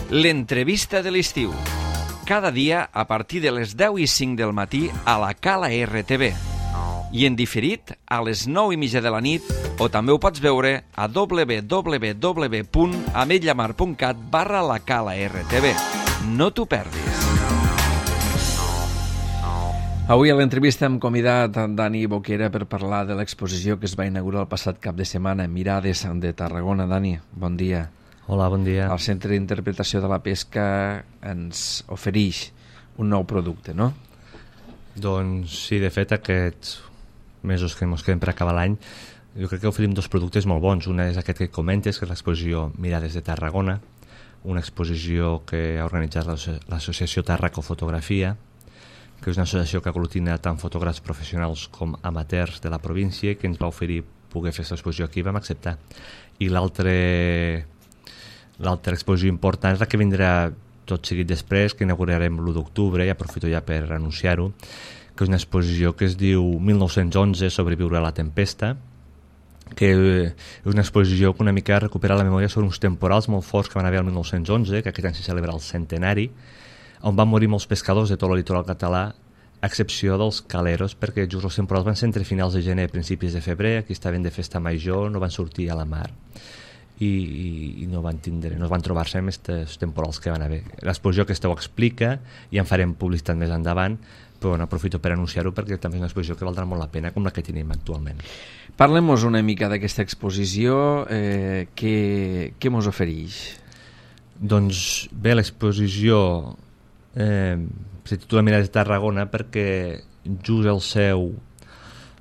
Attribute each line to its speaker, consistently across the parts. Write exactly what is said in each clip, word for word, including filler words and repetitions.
Speaker 1: L'entrevista de l'estiu. Cada dia a partir de les deu i cinc del matí a la Cala R T V. I en diferit a les nou i mitja de la nit, o també ho pots veure a w w w punt ametlla mar punt cat barra la Cala R T V. No t'ho perdis. Avui a l'entrevista hem convidat a Dani Boquera per parlar de l'exposició que es va inaugurar el passat cap de setmana, Mirades de Tarragona. Dani, bon dia.
Speaker 2: Hola, bon dia.
Speaker 1: El Centre d'Interpretació de la Pesca ens ofereix un nou producte, no?
Speaker 2: Doncs sí, de fet, aquests mesos que ens queden per acabar l'any, jo crec que oferim dos productes molt bons. Una és aquest que comentes, que és l'exposició Mirades de Tarragona, una exposició que ha organitzat l'associació Tarraco Fotografia, que és una associació que aglutina tant fotògrafs professionals com amateurs de la província, que ens va oferir poder fer aquesta exposició aquí i vam acceptar. I l'altre l'altra exposició important és la que vindrà tot seguit després, que inaugurarem l'u d'octubre, i aprofito ja per anunciar-ho, que és una exposició que es diu mil nou-cents onze, sobreviure a la tempesta, que és una exposició que una mica recupera la memòria sobre uns temporals molt forts que van haver el mil nou-cents onze, que aquest any se celebra el centenari, on van morir molts pescadors de tot el litoral català, a excepció dels caleros, perquè just els temporals van ser entre finals de gener i principis de febrer, aquí estaven de festa major, no van sortir a la mar i, i, i no van tindre, no van trobar-se amb aquests temporals que van haver. L'exposició aquesta ho explica i en farem publicitat més endavant, però bueno, aprofito per anunciar-ho perquè també és una exposició que valdrà molt la pena, com la que tenim actualment.
Speaker 1: Parlem-nos una mica d'aquesta exposició, eh, què, què mos ofereix?
Speaker 2: Doncs bé, l'exposició eh, se titula Mirades de Tarragona perquè just el seu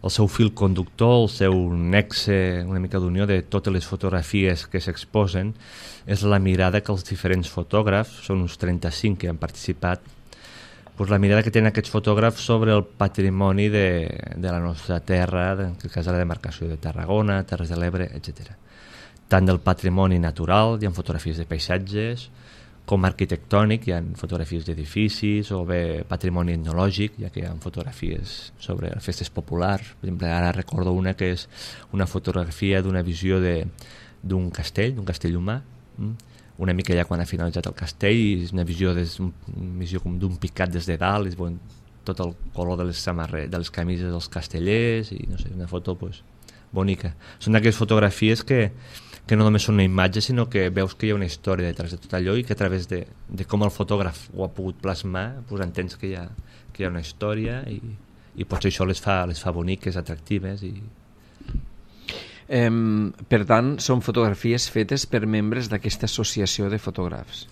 Speaker 2: el seu fil conductor, el seu nexe, una mica d'unió de totes les fotografies que s'exposen, és la mirada que els diferents fotògrafs, són uns trenta-cinc que han participat, doncs la mirada que tenen aquests fotògrafs sobre el patrimoni de, de la nostra terra, en el cas de la demarcació de Tarragona, Terres de l'Ebre, etcètera. Tant del patrimoni natural, hi ha fotografies de paisatges, com arquitectònic, hi ha fotografies d'edificis, o bé patrimoni etnològic, ja que hi ha fotografies sobre festes populars. Per exemple, ara recordo una que és una fotografia d'una visió d'un castell, d'un castell humà, una mica ja quan ha finalitzat el castell, i és una visió, des, una visió com d'un picat des de dalt, és bon, tot el color de les samarretes, de les camises dels castellers, i no sé, una foto pues, bonica. Són d'aquelles fotografies que que no només són una imatge, sinó que veus que hi ha una història detrás de tot allò i que a través de, de com el fotògraf ho ha pogut plasmar, pues entens que hi ha, que hi ha una història i, i potser això les fa, les fa boniques, atractives. I...
Speaker 1: Eh, per tant, són fotografies fetes per membres d'aquesta associació de fotògrafs.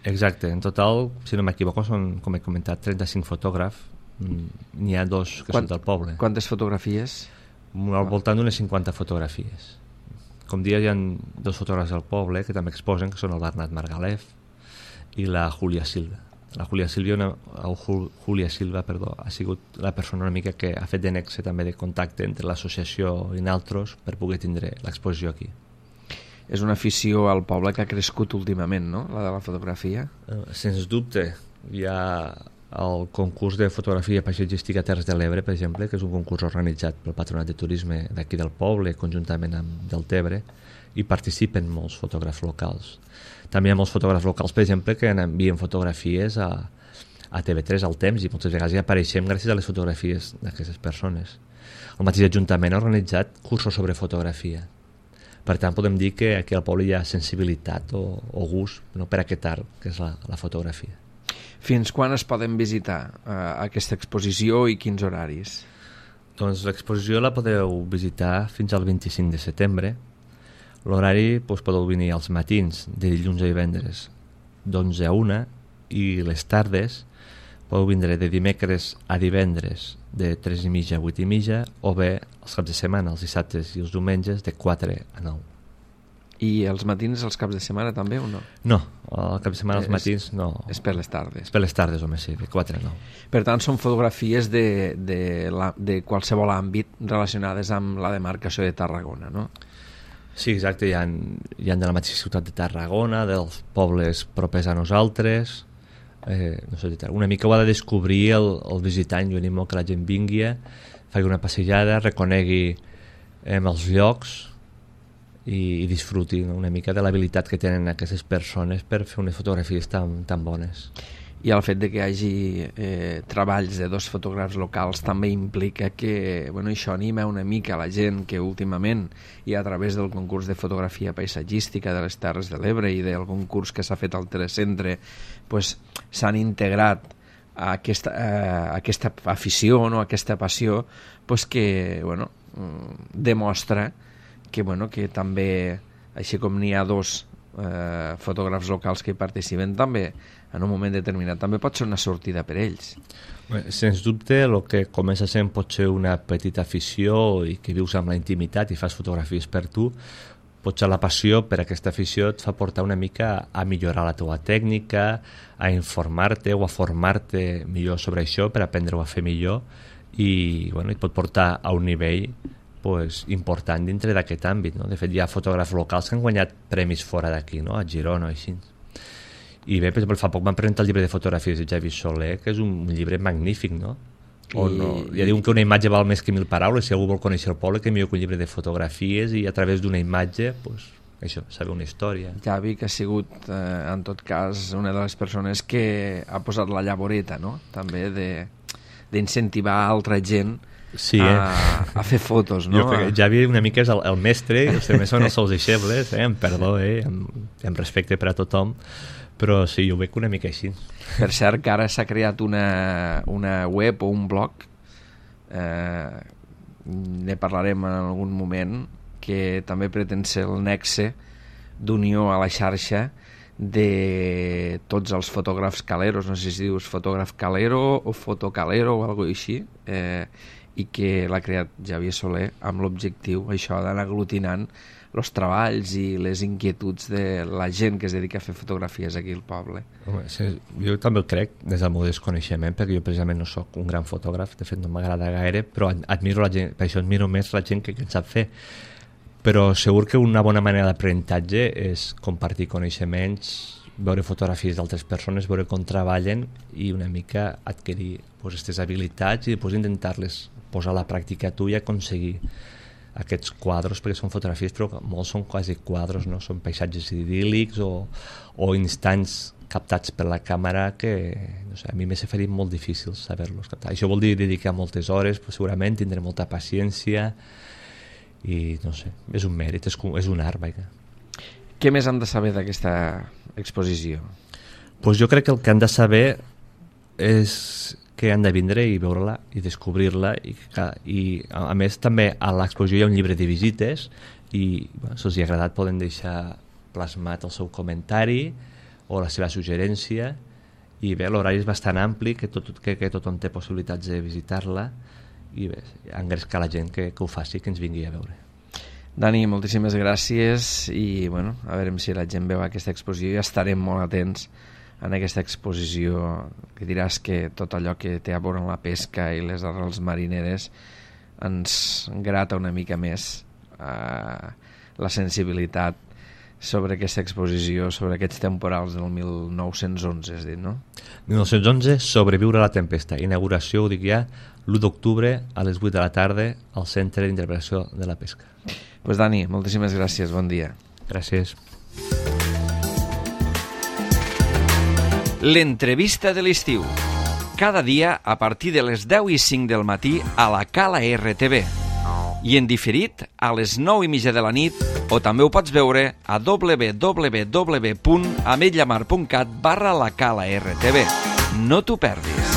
Speaker 2: Exacte, en total, si no m'equivoco, són, com he comentat, trenta-cinc fotògrafs. N'hi ha dos que Quant, són del poble.
Speaker 1: Quantes fotografies?
Speaker 2: Al voltant d'unes cinquanta fotografies. Com dia hi ha dos fotògrafs del poble que també exposen, que són el Bernat Margalef i la Júlia Silva. La Júlia Silva, una, Júlia Silva perdó, ha sigut la persona una mica que ha fet de nexe també de contacte entre l'associació i nosaltres per poder tindre l'exposició aquí.
Speaker 1: És una afició al poble que ha crescut últimament, no?, la de la fotografia?
Speaker 2: Uh, sens dubte. Hi ha el concurs de fotografia paisatgística Terres de l'Ebre, per exemple, que és un concurs organitzat pel Patronat de Turisme d'aquí del poble, conjuntament amb Deltebre, i participen molts fotògrafs locals. També hi ha molts fotògrafs locals, per exemple, que envien fotografies a, a T V tres, al Temps, i moltes vegades hi apareixem gràcies a les fotografies d'aquestes persones. El mateix Ajuntament ha organitzat cursos sobre fotografia. Per tant, podem dir que aquí al poble hi ha sensibilitat o, o gust, no, per aquest art, que és la, la fotografia.
Speaker 1: Fins quan es poden visitar eh, aquesta exposició i quins horaris?
Speaker 2: Doncs l'exposició la podeu visitar fins al vint-i-cinc de setembre. L'horari doncs, podeu venir als matins, de dilluns a divendres, d'onze a una, i les tardes podeu vindre de dimecres a divendres, de tres i mitja a vuit i mitja, o bé els caps de setmana, els dissabtes i els diumenges, de quatre a nou.
Speaker 1: I els matins, els caps de setmana també o no?
Speaker 2: No, el cap de setmana els matins no.
Speaker 1: És per les tardes.
Speaker 2: És per les tardes, home, sí, de quatre a nou.
Speaker 1: Per tant, són fotografies de, de, la, de qualsevol àmbit relacionades amb la demarcació de Tarragona, no?
Speaker 2: Sí, exacte, hi ha, hi ha de la mateixa ciutat de Tarragona, dels pobles propers a nosaltres, eh, no sé, una mica ho ha de descobrir el, el visitant. Jo animo que la gent vingui, faci una passejada, reconegui eh, els llocs, i, i disfruti, no? Una mica de l'habilitat que tenen aquestes persones per fer unes fotografies tan, tan bones.
Speaker 1: I el fet de que hi hagi eh, treballs de dos fotògrafs locals també implica que bueno, això anima una mica la gent que últimament, i a través del concurs de fotografia paisatgística de les Terres de l'Ebre i del concurs que s'ha fet al Telecentre, pues, s'han integrat a aquesta, a aquesta afició, no? A aquesta passió, pues, que bueno, demostra que, bueno, que també, així com n'hi ha dos eh, fotògrafs locals que hi participen, també en un moment determinat també pot ser una sortida per ells.
Speaker 2: Bé, sens dubte, el que comença sent pot ser una petita afició i que vius amb la intimitat i fas fotografies per tu, potser la passió per aquesta afició et fa portar una mica a millorar la teva tècnica, a informar-te o a formar-te millor sobre això per aprendre-ho a fer millor, i bueno, et pot portar a un nivell pues, important dintre d'aquest àmbit, no? De fet, hi ha fotògrafs locals que han guanyat premis fora d'aquí, no? A Girona o així. I bé, per exemple, fa poc van presentar el llibre de fotografies de Xavi Soler, que és un llibre magnífic, no? O I... no, ja diuen que una imatge val més que mil paraules. Si algú vol conèixer el poble, que millor que un llibre de fotografies, i a través d'una imatge, pues, això, saber una història.
Speaker 1: Xavi, que ha sigut, eh, en tot cas, una de les persones que ha posat la llavoreta, no? També de d'incentivar altra gent sí, eh? a, a fer fotos, no?
Speaker 2: Jo crec que Xavi una mica és el, el mestre, els altres són els seus deixebles, eh? Amb perdó, eh? amb, amb respecte per a tothom, però sí, jo ho veig una mica així.
Speaker 1: Per cert, que ara s'ha creat una, una web o un blog, eh, ne parlarem en algun moment, que també pretén ser el nexe d'unió a la xarxa de tots els fotògrafs caleros, no sé si dius fotògraf calero o fotocalero o alguna cosa així, eh, i que l'ha creat Xavier Soler amb l'objectiu això d'anar aglutinant els treballs i les inquietuds de la gent que es dedica a fer fotografies aquí al poble.
Speaker 2: Home, sí, jo també ho crec des del meu desconeixement, perquè jo precisament no sóc un gran fotògraf, de fet no m'agrada gaire, però admiro la gent, per això admiro més la gent que, que en sap fer. Però segur que una bona manera d'aprenentatge és compartir coneixements, veure fotografies d'altres persones, veure com treballen i una mica adquirir pues, aquestes habilitats i després intentar-les posar a la pràctica tu i aconseguir aquests quadres, perquè són fotografies però molts són quasi quadres, no? Són paisatges idíl·lics o, o instants captats per la càmera que no sé, a mi m'ha fet molt difícil saber-los captar. Això vol dir dedicar moltes hores, però segurament tindré molta paciència i no sé, és un mèrit, és, és un art, vaja.
Speaker 1: Què més hem de saber d'aquesta exposició?
Speaker 2: Pues jo crec que el que han de saber és que han de vindre i veure-la i descobrir-la i, i a més també a l'exposició hi ha un llibre de visites i bueno, si els ha agradat poden deixar plasmat el seu comentari o la seva suggerència i bé, l'horari és bastant ampli que, tot, que, que tothom té possibilitats de visitar-la i bé, engrescar la gent que, que ho faci, que ens vingui a veure.
Speaker 1: Dani, moltíssimes gràcies i bueno, a veure si la gent veu aquesta exposició i estarem molt atents en aquesta exposició que diràs que tot allò que té a veure amb la pesca i les arrels marineres ens grata una mica més eh, la sensibilitat sobre aquesta exposició, sobre aquests temporals del mil nou-cents onze, has dit, no?
Speaker 2: mil nou-cents onze, Sobreviure a la tempesta. Inauguració, ho dic ja, l'u d'octubre a les vuit de la tarda al Centre d'Interpretació de la Pesca.
Speaker 1: Doncs pues Dani, moltíssimes gràcies, bon dia.
Speaker 2: Gràcies.
Speaker 1: L'entrevista de l'estiu. Cada dia a partir de les deu i cinc del matí a la Cala R T V. I en diferit a les nou i mitja de la nit o també ho pots veure a w w w punt ametlla mar punt cat barra la Cala R T V. No t'ho perdis.